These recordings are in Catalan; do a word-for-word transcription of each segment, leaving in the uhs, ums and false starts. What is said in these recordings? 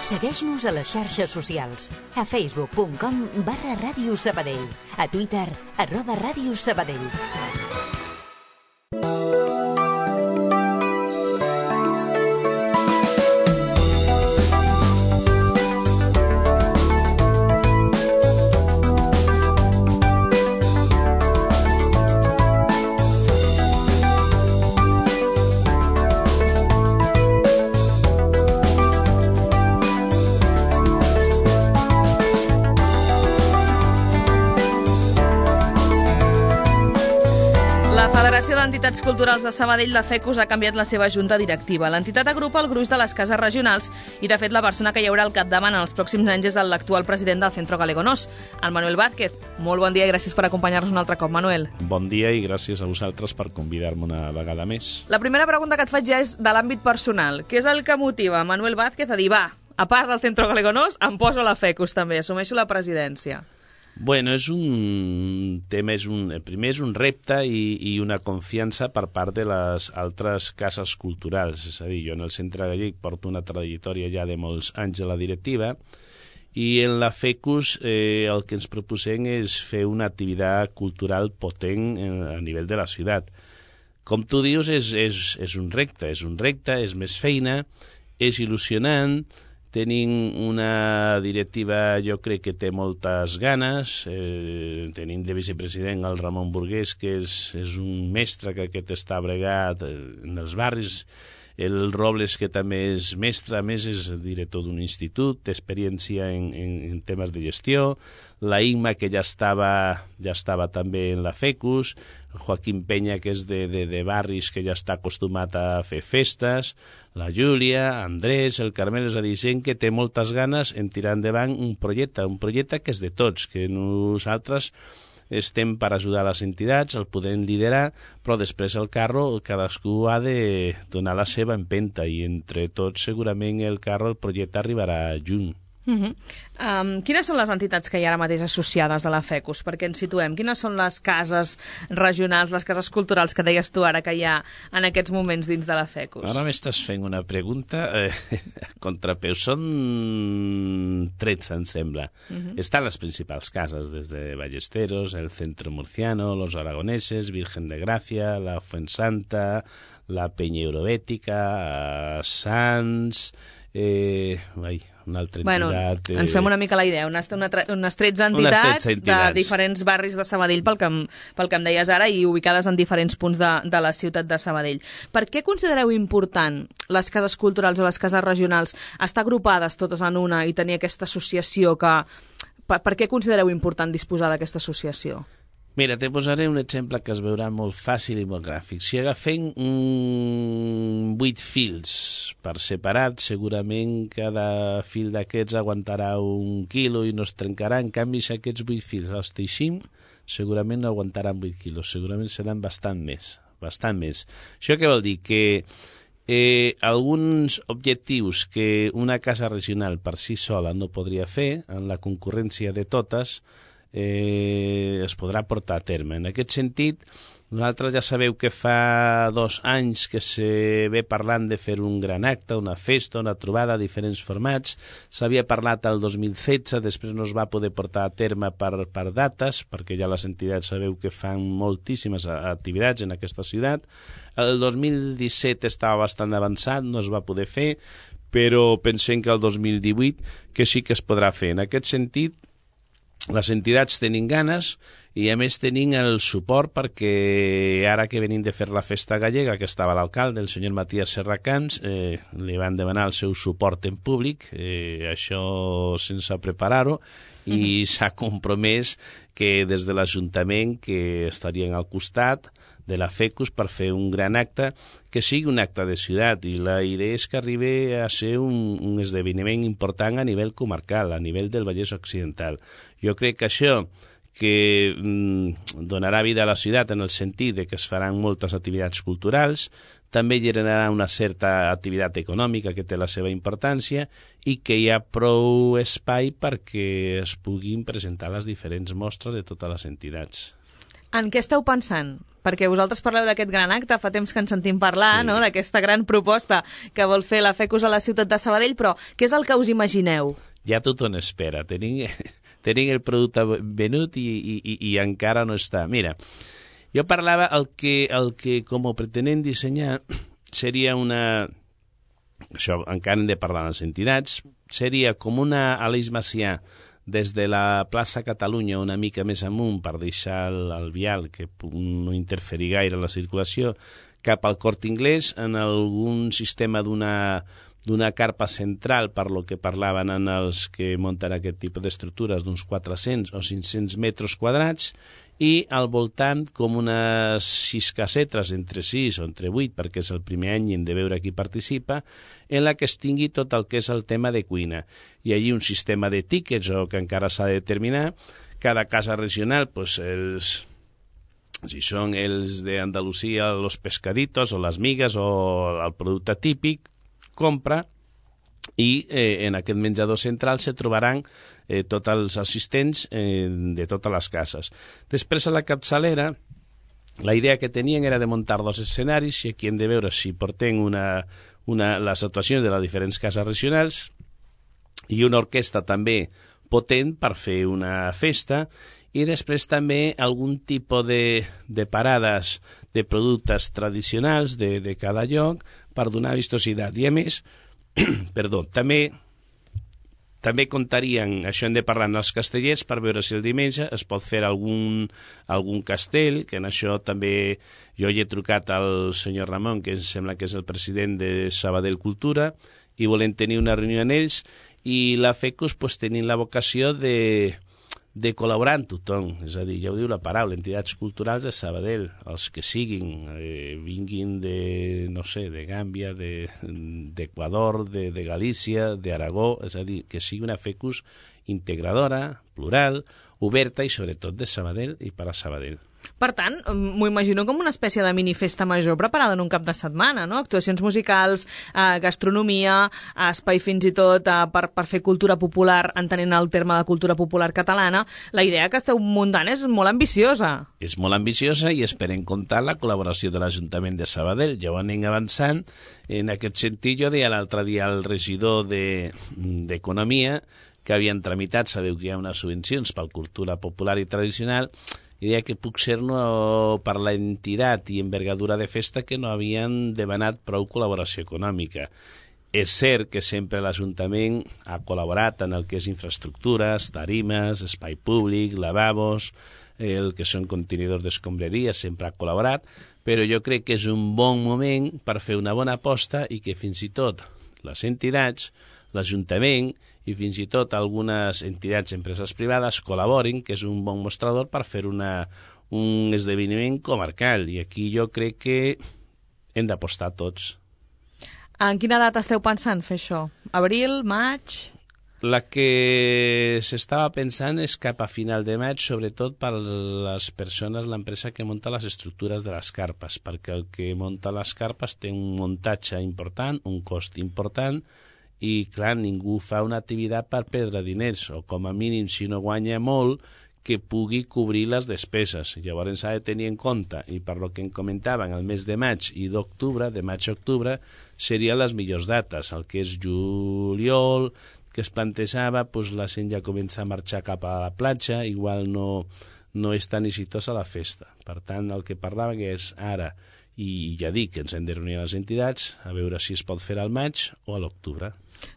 Segueix-nos a les xarxes socials, a facebook punt com barra Ràdio Sabadell, a Twitter, arroba Ràdio Sabadell. Entitats Culturals de Sabadell, la FECUS, ha canviat la seva junta directiva. L'entitat agrupa el gruix de les cases regionals i, de fet, la persona que hi haurà al capdavant en els pròxims anys és l'actual president del Centro Galego-Nos, el Manuel Vázquez. Molt bon dia i gràcies per acompanyar-nos un altre cop, Manuel. Bon dia i gràcies a vosaltres per convidar-me una vegada més. La primera pregunta que et faig ja és de l'àmbit personal. Què és el que motiva Manuel Vázquez a dir, va, a part del Centro Galego-Nos, em poso a la FECUS també, assumeixo la presidència? Bueno, és un tema, és un, primer és un repte i, i una confiança per part de les altres cases culturals. És a dir, jo en el Centre Gallec porto una trajectòria ja de molts anys a la directiva i en la FECUS eh, el que ens proposem és fer una activitat cultural potent a nivell de la ciutat. Com tu dius, és, és, és un repte, és un repte, és més feina, és il·lusionant. Tenim una directiva, jo crec que té moltes ganes. Eh, tenim de vicepresident el Ramon Burgués, que és, és un mestre que aquest està bregat en els barris. El Robles, que també és mestre, a més és director d'un institut, té experiència en, en, en temes de gestió. La Imma, que ja estava, ja estava també en la FECUS. Joaquim Penya, que és de, de, de barris, que ja està acostumat a fer festes. La Júlia, Andrés, el Carmel, és a dir, gent que té moltes ganes en tirar endavant un projecte, un projecte que és de tots, que nosaltres estem per ajudar les entitats, el podem liderar, però després el carro cadascú ha de donar la seva empenta i entre tots segurament el carro, el projecte arribarà junt. Uh-huh. Um, quines són les entitats que hi ha ara mateix associades a la FECUS? Perquè ens situem. Quines són les cases regionals, les cases culturals que deies tu ara que hi ha en aquests moments dins de la FECUS? Ara m'estàs fent una pregunta eh, contrapeu. Són tretze, em sembla. Uh-huh. Estan les principals cases, des de Ballesteros, el Centro Murciano, Los Aragoneses, Virgen de Gracia, la Fuensanta, la Peña Eurobètica, Sants... Eh, ai, una altra bueno, entitat... Eh... Ens fem una mica la idea, unes, una, unes tretze entitats, unes tretze entitats de diferents barris de Sabadell, pel que, em, pel que em deies ara, i ubicades en diferents punts de, de la ciutat de Sabadell. Per què considereu important les cases culturals o les cases regionals estar agrupades totes en una i tenir aquesta associació? Que, per, per què considereu important disposar d'aquesta associació? Mira, te posaré un exemple que es veurà molt fàcil i molt gràfic. Si agafem mm, vuit fils per separat, segurament cada fil d'aquests aguantarà un quilo i no es trencarà. En canvi, si aquests vuit fils els teixim, segurament no aguantaran vuit quilos, segurament seran bastant més, bastant més. Això què vol dir? Que eh, alguns objectius que una casa regional per si sola no podria fer, en la concurrència de totes, Eh, es podrà portar a terme. En aquest sentit, nosaltres ja sabeu que fa dos anys que se ve parlant de fer un gran acte, una festa, una trobada, diferents formats. S'havia parlat el dos mil setze, després no es va poder portar a terme per, per dates, perquè ja les entitats sabeu que fan moltíssimes activitats en aquesta ciutat. El dos mil disset estava bastant avançat, no es va poder fer, però pensem que el dos mil divuit que sí que es podrà fer. En aquest sentit, les entitats tenim ganes i a més tenim el suport perquè ara que venim de fer la festa gallega, que estava l'alcalde, el senyor Matías Serracans, eh, li van demanar el seu suport en públic, eh, això sense preparar-ho, i uh-huh. s'ha compromès que des de l'Ajuntament que estarien al costat de la FECUS per fer un gran acte que sigui un acte de ciutat, i la idea és que arribi a ser un, un esdeveniment important a nivell comarcal, a nivell del Vallès Occidental. Jo crec que això que mm, donarà vida a la ciutat en el sentit de que es faran moltes activitats culturals, també generarà una certa activitat econòmica que té la seva importància i que hi ha prou espai perquè es puguin presentar les diferents mostres de totes les entitats. En què esteu pensant? Perquè vosaltres parleu d'aquest gran acte, fa temps que ens sentim parlar, sí. no?, d'aquesta gran proposta que vol fer la FECUS a la ciutat de Sabadell, però què és el que us imagineu? Ja tothom espera. Tenim, tenim el producte venut i, i, i, i encara no està. Mira, jo parlava el que, el que com ho pretenem dissenyar seria una... Això encara hem de parlar amb les entitats. Seria com una Aleix Macià des de la plaça Catalunya una mica més amunt per deixar el, el vial que no interferir gaire en la circulació cap al Corte Inglés en algun sistema d'una d'una carpa central, per lo que parlaven en els que munten aquest tipus d'estructures, d'uns quatre-cents o cinc-cents metres quadrats, i al voltant com unes sis casetes, entre sis o entre vuit, perquè és el primer any i hem de veure qui participa, en la que es tingui tot el que és el tema de cuina. I allí un sistema de tíquets, o que encara s'ha de determinar, cada casa regional, pues, els... si són els d'Andalusia, los pescaditos o les migues o el producte típic, compra, i eh, en aquest menjador central se trobaran eh, tots els assistents eh, de totes les cases. Després a la capçalera, la idea que tenien era de muntar dos escenaris i aquí hem de veure si portem una, una, les actuacions de les diferents cases regionals i una orquestra també potent per fer una festa, i després també algun tipus de, de parades de productes tradicionals de, de cada lloc per donar vistositat. I a més, perdó, també també comptarien, això hem de parlar amb els castellers per veure si el diumenge es pot fer algun, algun castell, que en això també jo hi he trucat al senyor Ramon, que em sembla que és el president de Sabadell Cultura, i volem tenir una reunió amb ells, i la FECUS pues, tenint la vocació de... de col·laborar amb tothom, és a dir, ja ho diu la paraula, entitats culturals de Sabadell, els que siguin, eh, vinguin de, no sé, de Gàmbia, d'Equador, de, de Galícia, d'Aragó, és a dir, que sigui una FECUS integradora, plural, oberta i sobretot de Sabadell i per a Sabadell. Per tant, m'ho imagino com una espècie de minifesta major preparada en un cap de setmana, no? Actuacions musicals, eh, gastronomia, espai fins i tot eh, per, per fer cultura popular, entenent el terme de cultura popular catalana. La idea que esteu muntant és molt ambiciosa. És molt ambiciosa i esperem comptar la col·laboració de l'Ajuntament de Sabadell. Ja ho anem avançant. En aquest sentit, jo deia l'altre dia al regidor d'Economia de, que havien tramitat, sabeu que hi ha unes subvencions per cultura popular i tradicional, i deia que puc ser no, per la entitat i envergadura de festa que no havien demanat prou col·laboració econòmica. És cert que sempre l'Ajuntament ha col·laborat en el que és infraestructures, tarimes, espai públic, lavabos, el que són contenidors d'escombraria, sempre ha col·laborat, però jo crec que és un bon moment per fer una bona aposta i que fins i tot les entitats, l'Ajuntament i fins i tot algunes entitats i empreses privades col·laborin, que és un bon mostrador per fer una, un esdeveniment comarcal. I aquí jo crec que hem d'apostar tots. En quina data esteu pensant fer això? Abril, maig? La que s'estava pensant és cap a final de maig, sobretot per les persones, l'empresa que munta les estructures de les carpes, perquè el que munta les carpes té un muntatge important, un cost important, i, clar, ningú fa una activitat per perdre diners, o com a mínim, si no guanya molt, que pugui cobrir les despeses. Llavors s'ha de tenir en compte, i per lo que em comentaven, el mes de maig i d'octubre, de maig a octubre, serien les millors dates. El que és juliol, que es plantejava, doncs la gent ja comença a marxar cap a la platja, igual no, no és tan exitosa la festa. Per tant, el que parlava que és ara, i ja dic que ens hem de reunir a les entitats, a veure si es pot fer al maig o a l'octubre.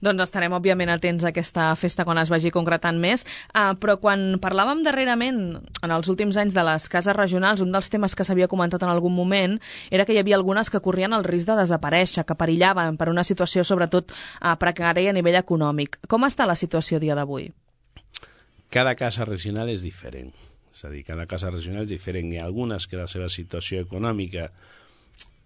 Doncs estarem, òbviament, atents a aquesta festa quan es vagi concretant més, uh, però quan parlàvem darrerament, en els últims anys, de les cases regionals, un dels temes que s'havia comentat en algun moment era que hi havia algunes que corrien el risc de desaparèixer, que perillaven per una situació, sobretot, uh, precària a nivell econòmic. Com està la situació a dia d'avui? Cada casa regional és diferent. És a dir, cada casa regional és diferent. Hi ha algunes que la seva situació econòmica...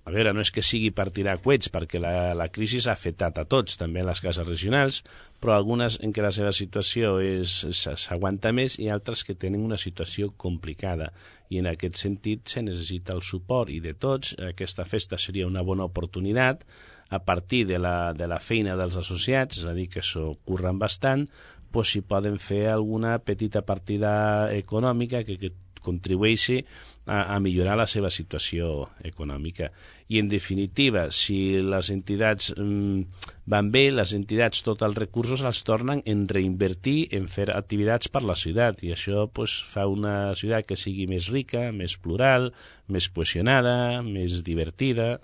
A veure, no és que sigui per tirar coets, perquè la, la crisi s'ha afectat a tots, també a les cases regionals, però algunes en què la seva situació s'aguanta més i altres que tenen una situació complicada. I en aquest sentit se necessita el suport i de tots. Aquesta festa seria una bona oportunitat a partir de la, de la feina dels associats, és a dir, que s'ho curren bastant, doncs si poden fer alguna petita partida econòmica que, que contribueixi a, a millorar la seva situació econòmica. I, en definitiva, si les entitats mm, van bé, les entitats tots els recursos els tornen en reinvertir, en fer activitats per la ciutat, i això pues, fa una ciutat que sigui més rica, més plural, més cohesionada, més divertida.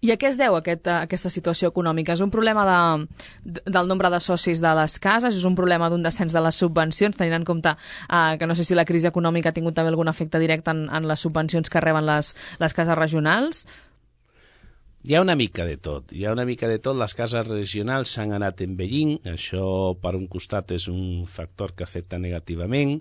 I a què es deu aquest, aquesta situació econòmica? És un problema de, del nombre de socis de les cases? És un problema d'un descens de les subvencions, tenint en compte eh, que no sé si la crisi econòmica ha tingut també algun efecte directe en, en les subvencions que reben les, les cases regionals? Hi ha una mica de tot. Hi ha una mica de tot. Les cases regionals s'han anat envellint. Això, per un costat, és un factor que afecta negativament.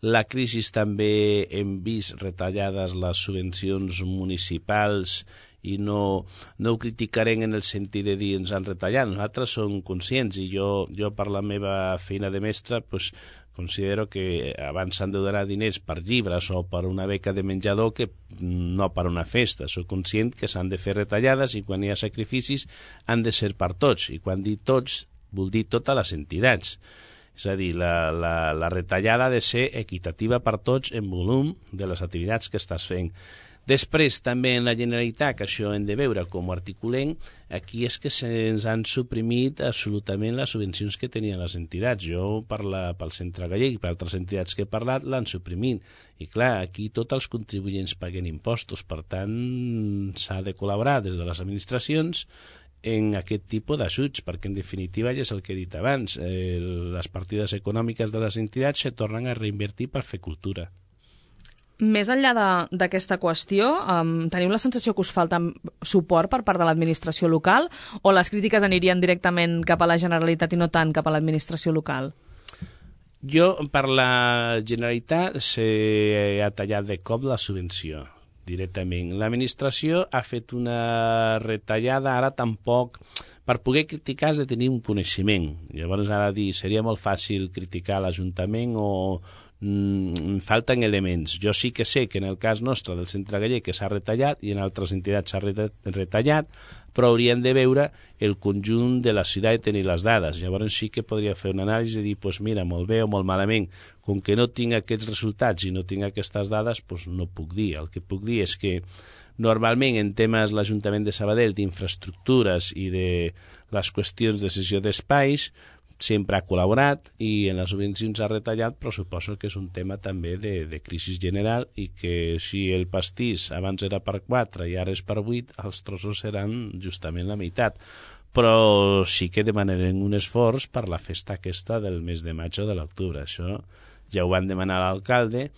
La crisi també hem vist retallades les subvencions municipals i no, no ho criticarem en el sentit de dir ens han retallat. Nosaltres som conscients i jo, jo per la meva feina de mestre pues, considero que abans s'han de donar diners per llibres o per una beca de menjador que no per una festa. Soc conscient que s'han de fer retallades i quan hi ha sacrificis han de ser per tots. I quan dic tots, vol dir totes les entitats. És a dir, la, la, la retallada ha de ser equitativa per tots en volum de les activitats que estàs fent. Després, també en la Generalitat, que això hem de veure com ho articulem, aquí és que se'ns han suprimit absolutament les subvencions que tenien les entitats. Jo, per la, pel Centre Gallec i per altres entitats que he parlat, l'han suprimit. I clar, aquí tots els contribuents paguen impostos, per tant, s'ha de col·laborar des de les administracions en aquest tipus d'ajuts, perquè en definitiva ja és el que he dit abans, eh, les partides econòmiques de les entitats se tornen a reinvertir per fer cultura. Més enllà d'aquesta qüestió, um, teniu la sensació que us falta suport per part de l'administració local o les crítiques anirien directament cap a la Generalitat i no tant cap a l'administració local? Jo, per la Generalitat, s'ha tallat de cop la subvenció directament. L'administració ha fet una retallada, ara tampoc... Per poder criticar has de tenir un coneixement. Llavors, ara dir, seria molt fàcil criticar l'Ajuntament o mm, falten elements. Jo sí que sé que en el cas nostre del Centre Gallec que s'ha retallat i en altres entitats s'ha retallat, però hauríem de veure el conjunt de la ciutat i tenir les dades. Llavors sí que podria fer una anàlisi i dir, pues mira, molt bé o molt malament. Com que no tinc aquests resultats i no tinc aquestes dades, pues no puc dir. El que puc dir és que normalment en temes l'Ajuntament de Sabadell d'infraestructures i de les qüestions de cessió d'espais sempre ha col·laborat i en les subvencions ha retallat, però suposo que és un tema també de, de crisi general i que si el pastís abans era per quatre i ara és per vuit, els trossos seran justament la meitat. Però sí que demanarem un esforç per la festa aquesta del mes de maig o de l'octubre. Això ja ho van demanar a l'alcalde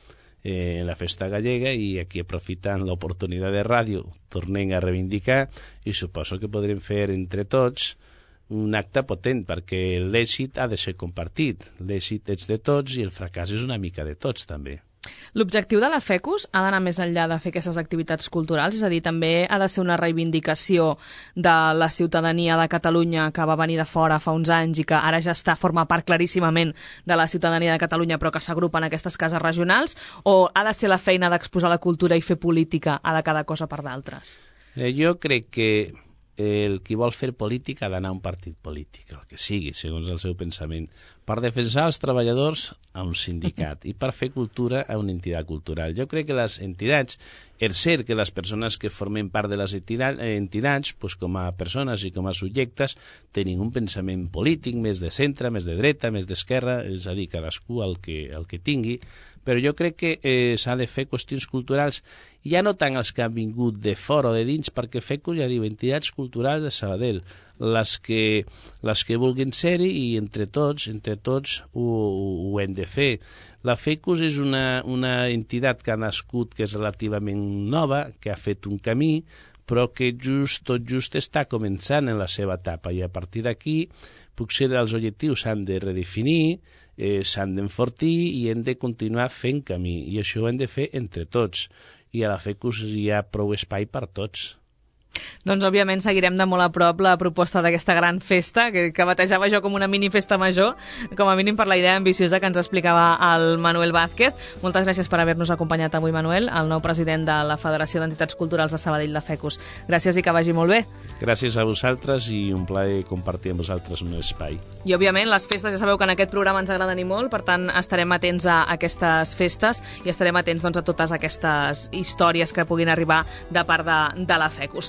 en la festa gallega i aquí aprofitant l'oportunitat de ràdio tornem a reivindicar i suposo que podrem fer entre tots un acte potent perquè l'èxit ha de ser compartit, l'èxit és de tots i el fracàs és una mica de tots també. L'objectiu de la FECUS ha d'anar més enllà de fer aquestes activitats culturals, és a dir, també ha de ser una reivindicació de la ciutadania de Catalunya que va venir de fora fa uns anys i que ara ja està forma part claríssimament de la ciutadania de Catalunya però que s'agrupa en aquestes cases regionals, o ha de ser la feina d'exposar la cultura i fer política a de cada cosa per d'altres? Eh, jo crec que el qui vol fer política ha d'anar a un partit polític, el que sigui, segons el seu pensament, per defensar els treballadors a un sindicat i per fer cultura a una entitat cultural. Jo crec que les entitats, és cert que les persones que formen part de les entitats, pues, com a persones i com a subjectes, tenen un pensament polític més de centre, més de dreta, més d'esquerra, és a dir, cadascú el que, el que tingui, però jo crec que eh, s'ha de fer qüestions culturals, ja no tant els que han vingut de fora o de dins, perquè FECUS, ja diu, entitats culturals de Sabadell, les que, les que vulguin ser-hi i entre tots, entre tots ho, ho hem de fer. La FECUS és una, una entitat que ha nascut, que és relativament nova, que ha fet un camí, però que just, tot just està començant en la seva etapa i a partir d'aquí potser els objectius s'han de redefinir, eh, s'han d'enfortir i hem de continuar fent camí i això ho hem de fer entre tots i a la FECUS hi ha prou espai per tots. Doncs, òbviament, seguirem de molt a prop la proposta d'aquesta gran festa, que, que batejava jo com una mini festa major, com a mínim per la idea ambiciosa que ens explicava el Manuel Vázquez. Moltes gràcies per haver-nos acompanyat avui, Manuel, el nou president de la Federació d'Entitats Culturals de Sabadell, la FECUS. Gràcies i que vagi molt bé. Gràcies a vosaltres i un plaer compartir amb vosaltres un espai. I, òbviament, les festes, ja sabeu que en aquest programa ens agraden i molt, per tant, estarem atents a aquestes festes i estarem atents doncs, a totes aquestes històries que puguin arribar de part de, de la FECUS.